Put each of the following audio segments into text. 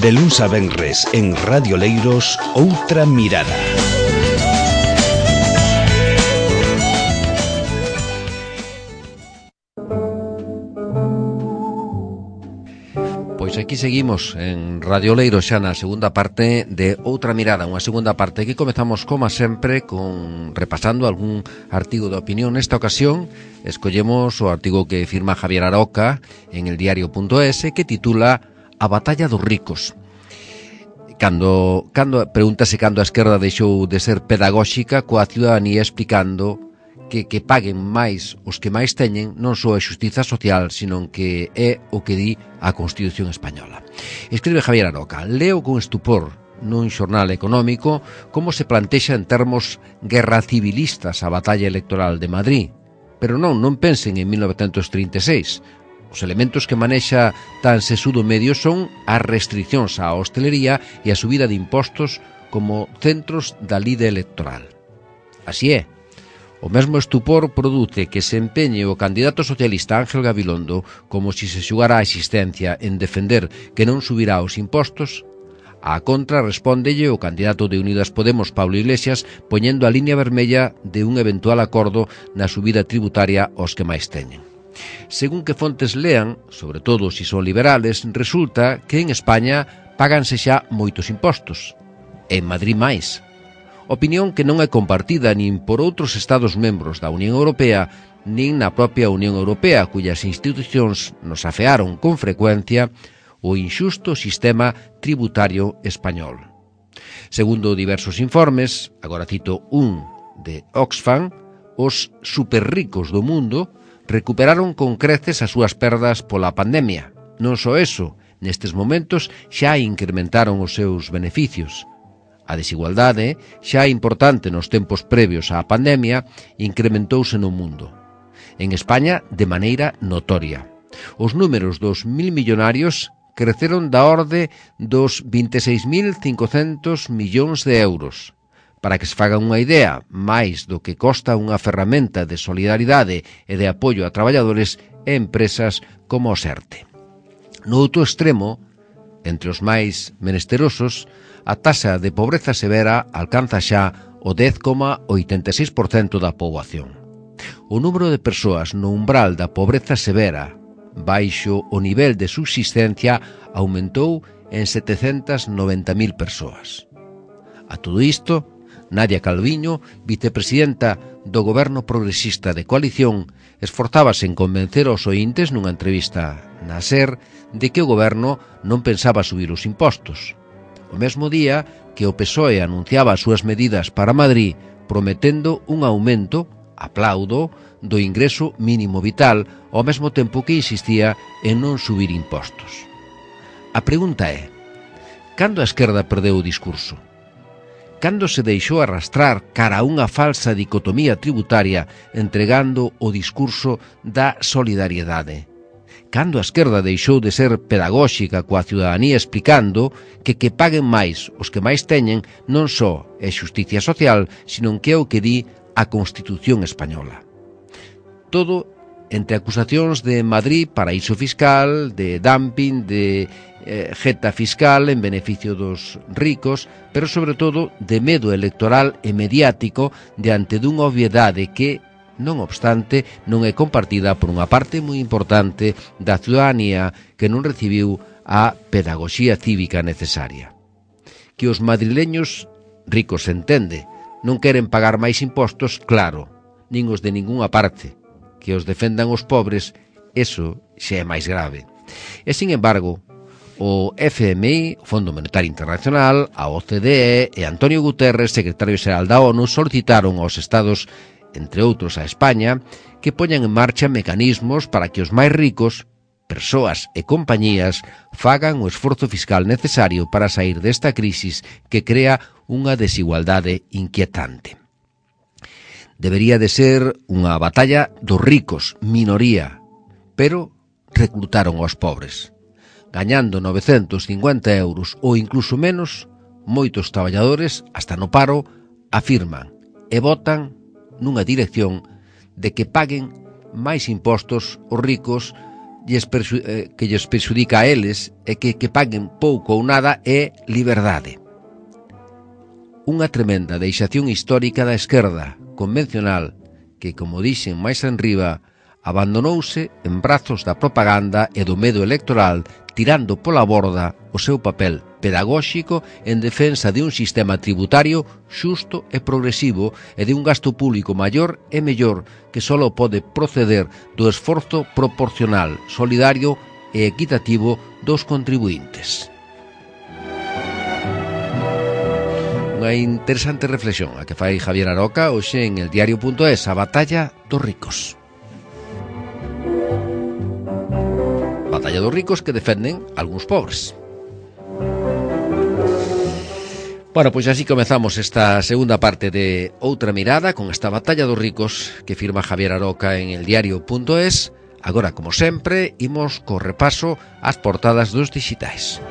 De luns a venres en Radio Leiros, Outra Mirada. Pois aquí seguimos en Radio Leiros xa na segunda parte de Outra Mirada, unha segunda parte que comezamos como sempre con repasando algún artigo de opinión. Nesta ocasión escollemos o artigo que firma Javier Aroca en el diario.es que titula A batalla dos ricos. Pregúntase cando a esquerda deixou de ser pedagóxica coa ciudadanía explicando que paguen máis os que máis teñen non só a xustiza social, senón que é o que di a Constitución española. Escribe Javier Aroca: leo con estupor nun xornal económico como se plantexa en termos guerra civilistas a batalla electoral de Madrid. Pero non pensen en 1936. Os elementos que manexa tan sesudo medio son as restriccións á hostelería e a subida de impostos como centros da lide electoral. Así é. O mesmo estupor produce que se empeñe o candidato socialista Ángel Gabilondo como si se xugara a existencia en defender que non subirá os impostos. A contra respóndelle o candidato de Unidas Podemos Pablo Iglesias poñendo a línea vermella de un eventual acordo na subida tributaria aos que máis teñen. Según que fontes lean, sobre todo se son liberales, resulta que en España páganse xa moitos impostos. En Madrid máis. Opinión que non é compartida nin por outros Estados membros da Unión Europea nin na propia Unión Europea, cuyas institucións nos afearon con frecuencia o inxusto sistema tributario español. Segundo diversos informes, agora cito un de Oxfam, os superricos do mundo recuperaron con creces as súas perdas pola pandemia. Non só eso, nestes momentos xa incrementaron os seus beneficios. A desigualdade, xa importante nos tempos previos á pandemia, incrementouse no mundo. En España, de maneira notoria. Os números dos 1.000 millonarios creceron da orde dos 26.500 millóns de euros. Para que se fagan unha idea, máis do que costa unha ferramenta de solidaridade e de apoio a traballadores e empresas como o SERTE. No outro extremo, entre os máis menesterosos, a taxa de pobreza severa alcanza xa o 10,86% da poboación. O número de persoas no umbral da pobreza severa, baixo o nivel de subsistencia, aumentou en 790.000 persoas. A todo isto, Nadia Calviño, vicepresidenta do Goberno Progresista de Coalición, esforzábase en convencer aos oíntes nunha entrevista na SER de que o Goberno non pensaba subir os impostos. O mesmo día que o PSOE anunciaba as súas medidas para Madrid prometendo un aumento, aplaudo, do ingreso mínimo vital ao mesmo tempo que insistía en non subir impostos. A pregunta é: cando a esquerda perdeu o discurso? Cando se deixou arrastrar cara a unha falsa dicotomía tributaria entregando o discurso da solidariedade? Cando a esquerda deixou de ser pedagóxica coa ciudadanía explicando que paguen máis os que máis teñen non só é xusticia social, senón que é o que di a Constitución española. Todo entre acusacións de Madrid, paraíso fiscal, de dumping, de jeta fiscal en beneficio dos ricos, pero sobre todo de medo electoral e mediático diante dunha obviedade que, non obstante, non é compartida por unha parte moi importante da ciudadanía que non recibiu a pedagoxía cívica necesaria. Que os madrileños, ricos se entende, non queren pagar máis impostos, claro, nin os de ningunha parte. Que os defendan os pobres, eso xa é máis grave. E, sin embargo, o FMI, o Fondo Monetario Internacional, a OCDE e Antonio Guterres, secretario xeral da ONU, solicitaron aos Estados, entre outros a España, que poñan en marcha mecanismos para que os máis ricos, persoas e compañías, fagan o esforzo fiscal necesario para sair desta crisis que crea unha desigualdade inquietante. Debería de ser unha batalla dos ricos, minoría, pero reclutaron aos pobres. Gañando 950 euros ou incluso menos, moitos traballadores, hasta no paro, afirman e votan nunha dirección de que paguen máis impostos os ricos lles perxudica a eles e que paguen pouco ou nada é liberdade. Unha tremenda deixación histórica da esquerda convencional que, como dixen máis enriba, abandonouse en brazos da propaganda e do medo electoral, tirando pola borda o seu papel pedagóxico en defensa de un sistema tributario xusto e progresivo e de un gasto público maior e mellor que só pode proceder do esforzo proporcional, solidario e equitativo dos contribuintes. Unha interesante reflexión a que fai Javier Aroca hoxe en el diario.es, a batalla dos ricos. Batalla dos ricos que defenden algúns pobres. Bueno, pois así comezamos esta segunda parte de Outra Mirada con esta batalla dos ricos que firma Javier Aroca en el diario.es. Agora, como sempre, imos co repaso ás portadas dos dixitais.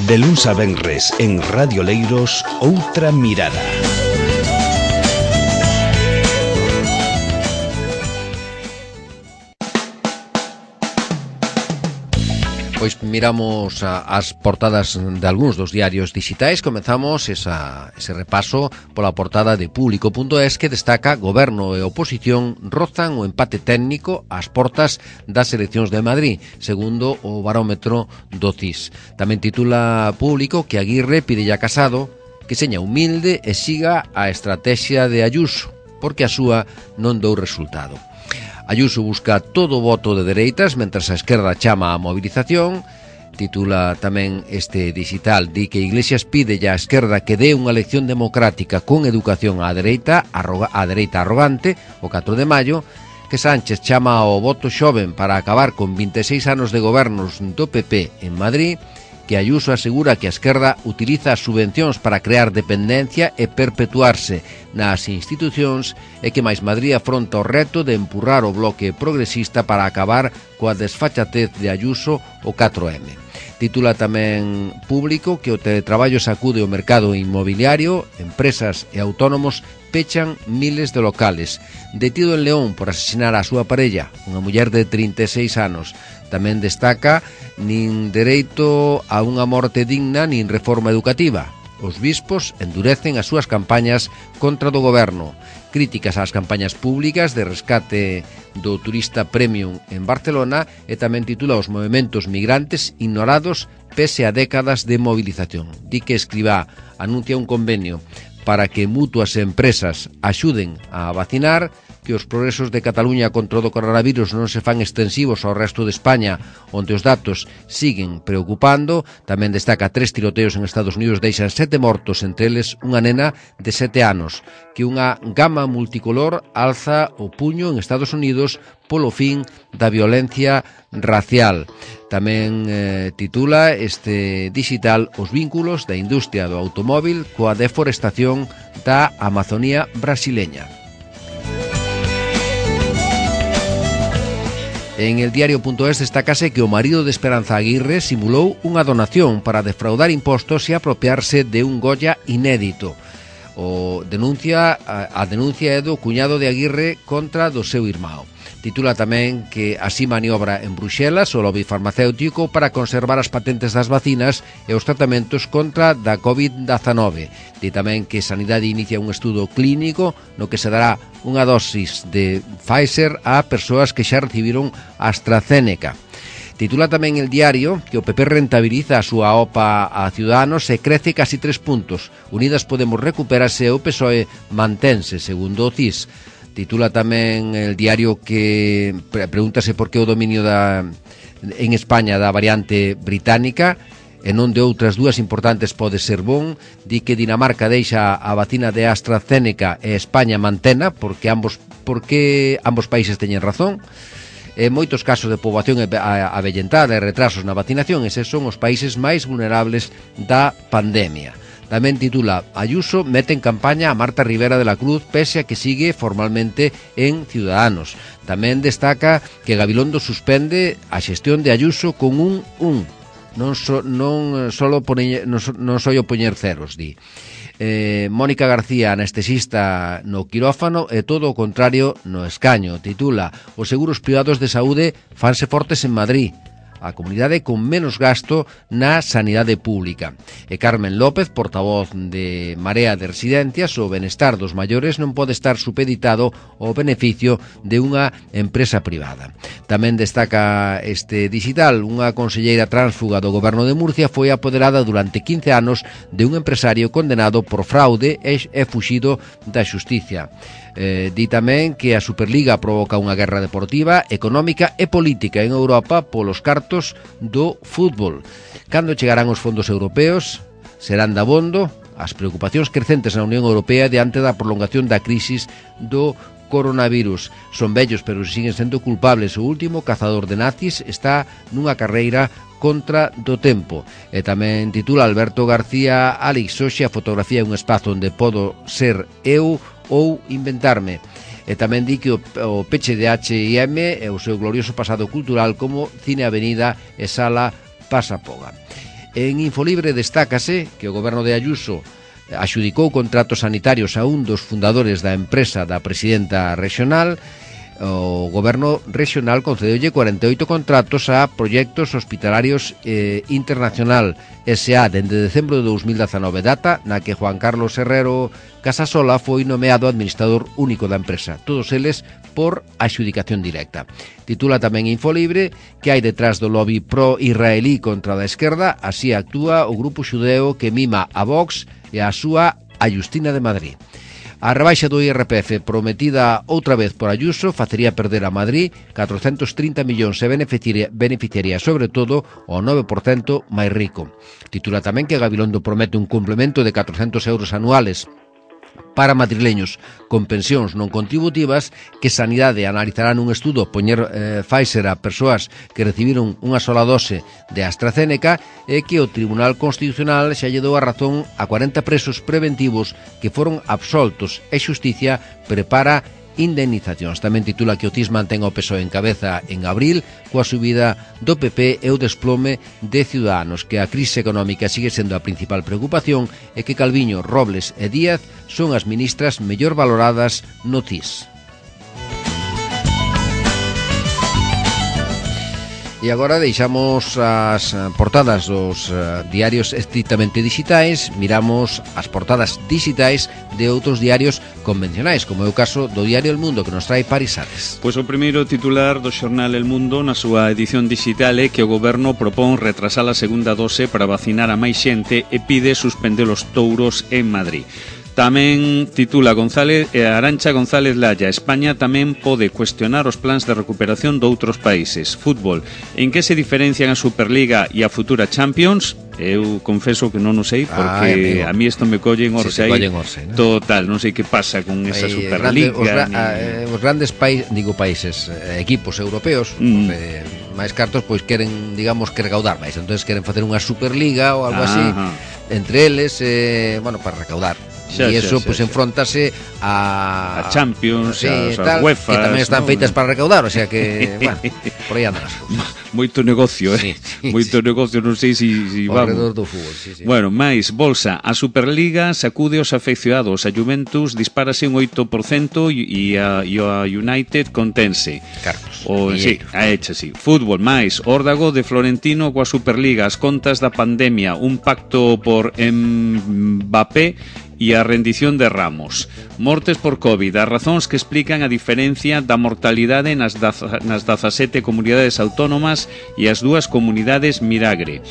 De luns a venres en Radio Leiros, Outra Mirada. Pois miramos as portadas de algúns dos diarios digitais. Comezamos ese repaso pola portada de Público.es que destaca Goberno e oposición rozan o empate técnico ás portas das eleccións de Madrid, segundo o barómetro do CIS. Tamén titula Público que Aguirre pide a Casado que seña humilde e siga a estrategia de Ayuso, porque a súa non dou resultado. Ayuso busca todo o voto de dereitas, mentras a esquerda chama a movilización. Titula tamén este digital, di que Iglesias pide á esquerda que dé unha lección democrática con educación á dereita arrogante, o 4 de maio, que Sánchez chama ao voto xoven para acabar con 26 anos de gobernos do PP en Madrid, que Ayuso asegura que a esquerda utiliza as subvencións para crear dependencia e perpetuarse nas institucións e que máis Madrid afronta o reto de empurrar o bloque progresista para acabar coa desfachatez de Ayuso o 4M. Titula tamén Público que o teletraballo sacude o mercado inmobiliario, empresas e autónomos pechan miles de locales. Detido en León por asesinar a súa parella, unha muller de 36 anos. Tamén destaca nin dereito a unha morte digna nin reforma educativa. Os bispos endurecen as súas campañas contra do goberno. Críticas ás campañas públicas de rescate do turista premium en Barcelona e tamén titula os movementos migrantes ignorados pese a décadas de movilización. Di que Escrivá anuncia un convenio para que mutuas e empresas axuden a vacinar, que os progresos de Cataluña contra o coronavirus non se fan extensivos ao resto de España, onde os datos siguen preocupando. Tamén destaca 3 tiroteos en Estados Unidos deixan 7 mortos, entre eles unha nena de 7 anos, que unha gama multicolor alza o puño en Estados Unidos polo fin da violencia racial. Tamén titula este digital os vínculos da industria do automóvil coa deforestación da Amazonía brasileña. En el diario.es destacase que o marido de Esperanza Aguirre simulou unha donación para defraudar impostos e apropiarse de un Goya inédito. A denuncia é do cuñado de Aguirre contra do seu irmão. Titula tamén que así maniobra en Bruxelas o lobby farmacéutico para conservar as patentes das vacinas e os tratamentos contra da COVID-19. Di tamén que Sanidade inicia un estudo clínico no que se dará unha dosis de Pfizer a persoas que xa recibiron AstraZeneca. Titula tamén el diario que o PP rentabiliza a súa OPA a Ciudadanos e crece casi 3 puntos. Unidas Podemos recuperase e o PSOE mantense, segundo o CIS. Titula tamén el diario que pregúntase por que o dominio en España da variante británica e non de outras dúas importantes pode ser bon. Di que Dinamarca deixa a vacina de AstraZeneca e España mantena porque ambos países teñen razón. En moitos casos de poboación avellentada e retrasos na vacinación, eses son os países máis vulnerables da pandemia. Tamén titula Ayuso mete en campaña a Marta Rivera de la Cruz pese a que sigue formalmente en Ciudadanos. Tamén destaca que Gabilondo suspende a xestión de Ayuso con un non só poñer ceros, di. Mónica García, anestesista no quirófano, e todo o contrario no escaño. Titula: os seguros privados de saúde fanse fortes en Madrid, a comunidade con menos gasto na sanidade pública. E Carmen López, portavoz de Marea de Residencias: o benestar dos maiores non pode estar supeditado ao beneficio de unha empresa privada. Tamén destaca este digital: unha conselleira tránsfuga do goberno de Murcia foi apoderada durante 15 anos de un empresario condenado por fraude e fuxido da xustiza. Di tamén que a Superliga provoca unha guerra deportiva, económica e política en Europa polos cartos do fútbol. Cando chegarán os fondos europeos? Serán dabondo? As preocupacións crecentes na Unión Europea diante da prolongación da crisis do coronavirus. Son vellos, pero siguen sendo culpables. O último cazador de nazis está nunha carreira contra do tempo. E tamén titula Alberto García: Alex, hoxe a fotografía é un espazo onde podo ser eu ou inventarme. E tamén di que o peche de H&M e o seu glorioso pasado cultural como Cine Avenida e Sala Pasapoga. En Infolibre destácase que o goberno de Ayuso axudicou contratos sanitarios a un dos fundadores da empresa da presidenta regional. O goberno regional concedeulle 48 contratos a Proyectos Hospitalarios Internacional S.A. dende decembro de 2019, data na que Juan Carlos Herrero Casasola foi nomeado administrador único da empresa, todos eles por adxudicación directa. Titula tamén Infolibre que hai detrás do lobby pro-israelí contra da esquerda. Así actúa o grupo xudeo que mima a Vox e a súa Ayustina de Madrid. A rebaixa do IRPF prometida outra vez por Ayuso facería perder a Madrid 430 millóns e beneficiaría sobre todo o 9% máis rico. Titula tamén que Gabilondo promete un complemento de 400 euros anuales para madrileños con pensións non contributivas, que Sanidade analizará nun estudo poñer Pfizer a persoas que recibiron unha sola dose de AstraZeneca, e que o Tribunal Constitucional xa lle dou a razón a 40 presos preventivos que foron absoltos e xusticia prepara indemnizacións. Tamén titula que o TIS mantén o PSOE en cabeza en abril coa subida do PP e o desplome de Ciudadanos, que a crise económica sigue sendo a principal preocupación e que Calviño, Robles e Díaz son as ministras mellor valoradas no TIS. E agora deixamos as portadas dos diarios estrictamente digitais, miramos as portadas digitais de outros diarios convencionais, como é o caso do diario El Mundo, que nos trae Paris Ares. Pois o primeiro titular do xornal El Mundo na súa edición digital é que o goberno propón retrasar a segunda dose para vacinar a máis xente e pide suspender os touros en Madrid. Tamén titula Arantxa González Laya: España tamén pode cuestionar os plans de recuperación de outros países. Fútbol: en que se diferencian a Superliga e a futura Champions? Eu confeso que non o sei, porque a mí isto me collen orse aí. ¿No? Total, non sei que pasa con esa Superliga. Os grandes países, equipos europeos, máis cartos, pois queren, digamos, que recaudar máis. Entonces queren facer unha Superliga ou algo así, entre eles, para recaudar. E iso pois enfrontase a Champions, a UEFA, que tamén están feitas para recaudar, o sea que, por aí andan as cousas. Moito negocio, moito negocio, non sei se vamos. Alrededor do fútbol, sí. Bueno, máis, bolsa, a Superliga sacude os afeccionados, a Juventus dispárase un 8% e a United contense. Carlos. Fútbol, máis, órdago de Florentino coa Superliga, as contas da pandemia, un pacto por Mbappé e a rendición de Ramos. Mortes por COVID, as razóns que explican a diferencia da mortalidade nas 17 comunidades autónomas e as dúas comunidades Miragre.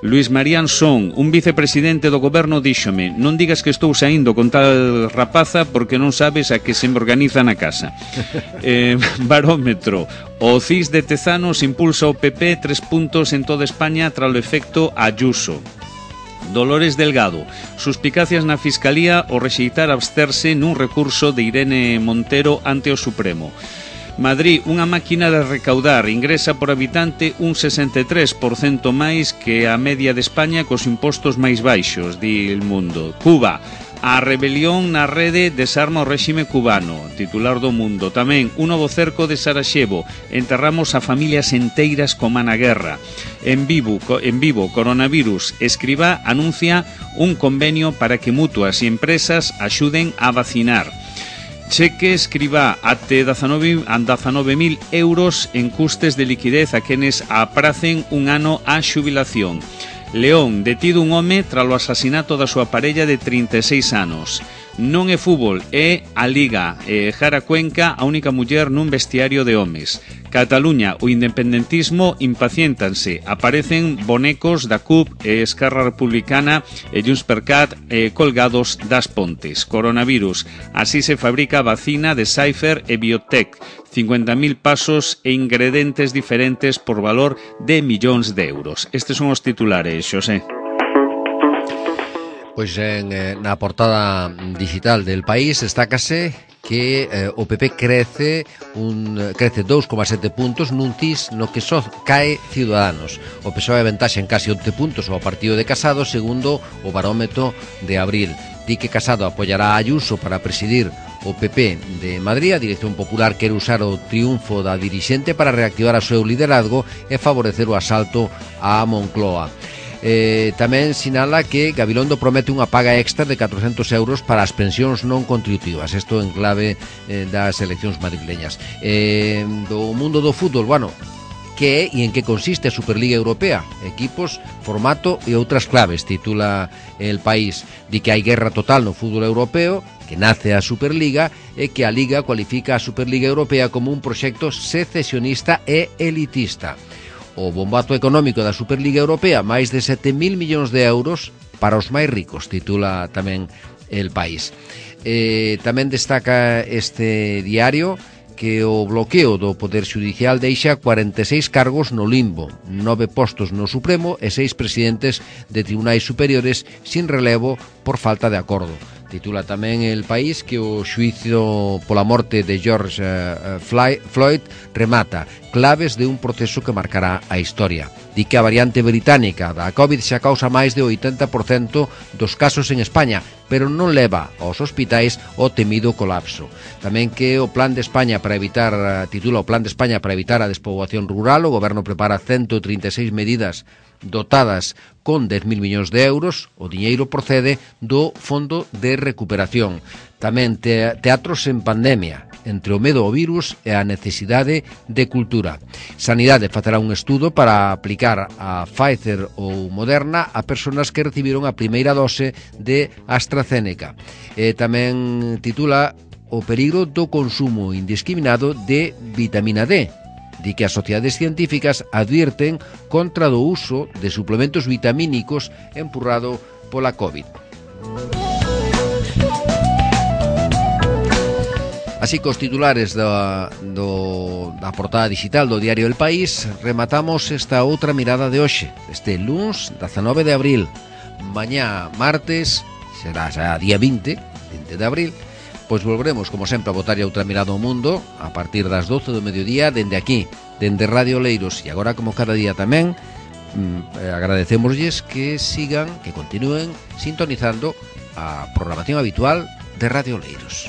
Luis María Ansón, un vicepresidente do goberno, díxome: non digas que estou saindo con tal rapaza porque non sabes a que se me organiza na casa. Barómetro: o CIS de Tezanos impulsa o PP 3 puntos en toda España tras o efecto Ayuso. Dolores Delgado, suspicacias na Fiscalía ao rexeitar absterse nun recurso de Irene Montero ante o Supremo. Madrid, unha máquina de recaudar, ingresa por habitante un 63% máis que a media de España cos impostos máis baixos, di El Mundo. Cuba, A rebelión na rede desarma o réxime cubano, titular do Mundo. Tamén un novo cerco de Sarajevo, enterramos a familias enteiras coma na guerra. En vivo, coronavirus, Escrivá anuncia un convenio para que mutuas e empresas axuden a vacinar. Cheque Escrivá até 19.000 euros en custes de liquidez a quenes apracen un ano a xubilación. León, detido un home tralo asasinato da súa parella de 36 anos. Non é fútbol, é a Liga. Jara Cuenca, a única muller nun vestiario de homes. Cataluña, o independentismo impaciéntanse. Aparecen bonecos da CUP, Esquerra Republicana e Junts per Cat colgados das pontes. Coronavirus, así se fabrica a vacina de Pfizer e Biotech. 50.000 pasos e ingredientes diferentes por valor de millóns de euros. Estes son os titulares, Xosé. Pois na portada digital del País destácase que o PP crece 2,7 puntos nun CIS no que só cae Ciudadanos. O PSOE aventaxa en casi 11 puntos ao partido de Casado segundo o barómetro de abril. Di que Casado apoiará a Ayuso para presidir o PP de Madrid. A Dirección Popular quere usar o triunfo da dirixente para reactivar o seu liderazgo e favorecer o asalto a Moncloa. Tamén sinala que Gabilondo promete unha paga extra de 400 euros para as pensións non contributivas. Isto en clave das eleccións madrileñas. Do mundo do fútbol, bueno, que é e en que consiste a Superliga Europea, equipos, formato e outras claves, titula El País. Di que hai guerra total no fútbol europeo, que nace a Superliga e que a Liga cualifica a Superliga Europea como un proxecto secesionista e elitista. O bombazo económico da Superliga Europea, máis de 7.000 millóns de euros para os máis ricos, titula tamén El País. Tamén destaca este diario que o bloqueo do Poder Xudicial deixa 46 cargos no limbo, 9 postos no Supremo e 6 presidentes de tribunais superiores sin relevo por falta de acordo. Titula tamén El País que o xuicio pola morte de George Floyd remata claves de un proceso que marcará a historia. Di que a variante británica da COVID xa causa máis de 80% dos casos en España, pero non leva aos hospitais o temido colapso. Tamén que o Plan de España para evitar, titula o Plan de España para evitar a despoboación rural, o goberno prepara 136 medidas dotadas con 10.000 millóns de euros. O diñeiro procede do Fondo de Recuperación. Tamén teatros en pandemia, entre o medo ao virus e a necesidade de cultura. Sanidade facerá un estudo para aplicar a Pfizer ou Moderna a persoas que recibiron a primeira dose de AstraZeneca. Tamén titula o peligro do consumo indiscriminado de vitamina D. Di que as sociedades científicas advierten contra do uso de suplementos vitamínicos empurrado pola COVID. Así que os titulares da portada digital do diario El País, rematamos esta outra mirada de hoxe, este luns 19 de abril. Mañá martes, será día 20 de abril, pois volveremos, como sempre, a botar outra mirada ao mundo a partir das 12 do mediodía, dende aquí, dende Radio Leiros. E agora, como cada día tamén, agradecémoslles que sigan, que continúen sintonizando a programación habitual de Radio Leiros.